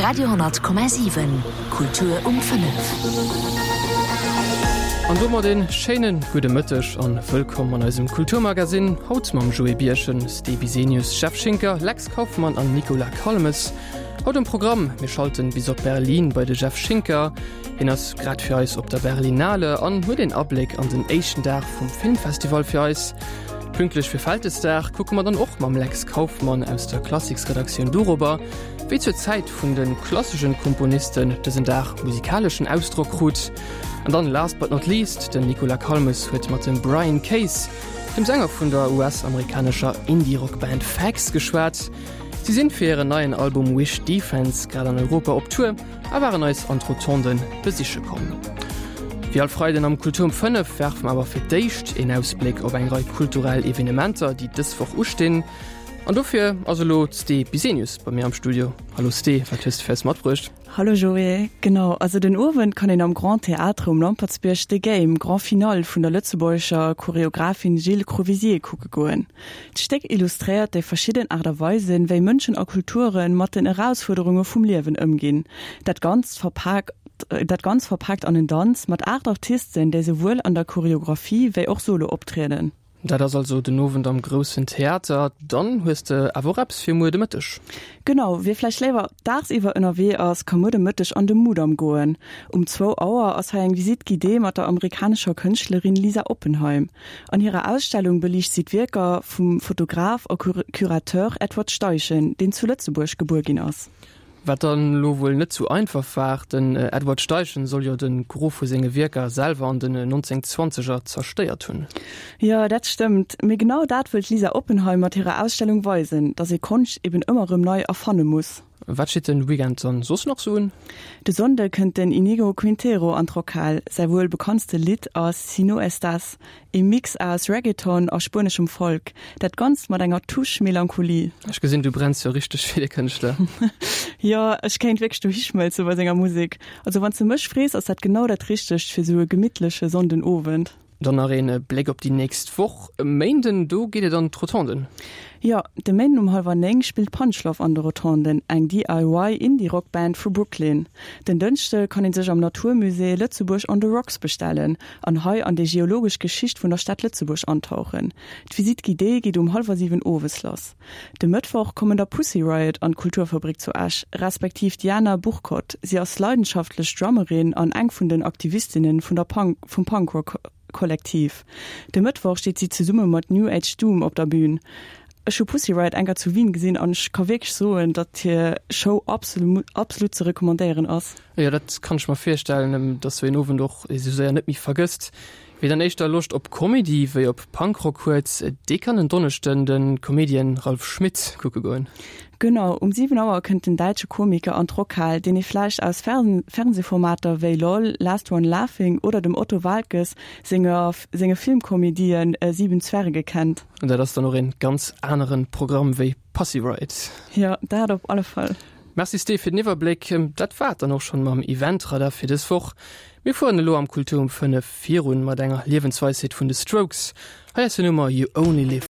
Radio,7 Kultur um 5. An domat een schéinen gudde Mëtteg an wëllkomm an eisem Kulturmagazin. Haut mam Joé Birchen, Ste Bisenius, Jeff Schinker, Lex Kauffmann an Nicolas Calmes. Haut um Programm, mir schalten bis op Berlin bei de Jeff Schinker. Hien ass grad fir eis op der Berlinale an huet een Abléck an den éischten Dag vum Filmfestival fir eis. Pünktlech fir Vältesdag kucke mer dann och mam Lex Kauffmann aus der Klassiksredaktioun dorobber, wéi zur Zäit vun de klasseschen Komponisten dësen Dag musikaleschen Ausdrock krut. An dann, last but not least, den Nicolas Calmes huet mat dem Brian Case, dem Sänger vun der US-amerikanescher Indie-Rock-Band Fags, geschwat. Si sinn fir hiren neien Album Wish Defense grad an Europa op Tour a waren eis an d'Rotonden besiche komm. Wéi all Freiden am Kultur um 5 werfe mer awer fir d'éischt een Ausbléck op eng Rei kulturell Evenementer, déi dës Woch ustinn. An dofir ass elo d'Sté Bisenius bei mir am Studio. Hallo Sté, wat hues de fir eis matbruecht? Hallo Joé, genau, also den Owend kann een am Grand Théâtre um Lampertsbierg The Game, Grand Finale vun der lëtzebuergescher Choreographin Jill Crovisier kucke goen. D'Stéck illustréiert déi verschidden Aart a Weisen, wéi Mënschen a Kulture mat den Erausfuerderunge vum Liewen ëmginn. Dat Ganzt verpak dat Ganz verpaakt an en Danz mat 8 Artisten, déi souwuel an der Choreographie wéi och solo optrieden. Dat ass also den Owend am Groussen Theater. Dann hues de awer och eppes fir muer de Mëtteg. Genau, wie vläicht léiwer daagsiwwer ënnerwee ass, ka muer de Mëtteg an de Mudam goen. Um zwou Auer ass hei eng Visite guidée mat der amerikanescher Kënschtlerin Lisa Oppenheim. An hirer Ausstellung beliicht si d'Wierker vum Fotograf a Curateur Edward Steichen, deen zu Lëtzebuerg gebuer ginn ass. Wat dann elo wuel net sou einfach war, den Edward Steichen soll jo de Gros vu senge Wierker selwer an den 1920er zerstéiert hunn. Jo, dat stëmmt. Mee genau dat wëll d'Lisa Oppenheim mat hirer Ausstellung weisen, datt ee Konscht eben ëmmer erëm nei erfanne muss. Wat steet den Weekend dann soss nach sou un? De Sonnde kënnt den Inigo Quintero an d'Rockhal. Säi wuel bekanntste Lidd ass Si no estás, ee Mix aus Reggaeton a spueneschem Folk. Dat Ganzt mat enger Touche Melancholie. Ech gesinn, du brenns jo richteg fir de Kënschtler. Jo, ech kéint wierklech dohischmëlze bei senger Musek. Also wann s de mech frees, ass dat genau dat Richtegt fir sou e gemittleche Sonndenowend. Dann nach een Bléck op déi nächst Woch. E Méinden, do geet et an d'Rotonden. Jo, de Méinden um hallwer 9 spillt Punchlove an de Rotonden, eng DIY Indie-Rock Band vu Brooklyn. Den Dënschde kann ee sech am Natur Musée Lëtzebuerg on the Rocks bestellen an hei an déi geologesch Geschicht vun der Stad Lëtzebuerg antauchen. D'Visite guidée geet um hallwer 7 owes lass. De Mëttwoch kommen da Pussy Riot an d'Kulturfabrik zu Esch, respektiv d'Jana Burkot. Si ass leidenschaftlech Drummerin an eng vun den Aktivistinnen vun der Punk vum Punkrock Kollektiv. De Mëttwoch steet si zesumme mat New Age Doom op der Bün. Ech hu Pussy Riot eng Kéier zu Wien gesinn an ech ka wierklech soen, datt hir Show absolut ze recommandéieren ass. Jo, dat kann ech mer virstellen, dass sou een Owend och esou séier net méi vergësst. Wie dann éischter Loscht op Comedy wéi op Punkrock huet, dee kann en Donneschden de Comedian Ralph Schmitz kucke goen. Genau, um 7 Auer kënnt den däitsche Komiker an d'Rockhal, deen ee vläicht aus Fernsehformater wéi Lol, Last One Laughing oder dem Otto Waalkes senger senge Filmkomedien Sieben Zwerge kennt. An dat ass dann och een ganz aneren Programm wéi Pussy Riot. Jo, dat op alle Fall. Merci Steve fir den Iwwerbléck. Dat war et dann och schonn mam Eventradar fir dës Woch. Mir fueren elo am Kultur um 5 virun mat enger Liewensweisheet vun de Strokes. Hei ass hir Nummer You Only Live.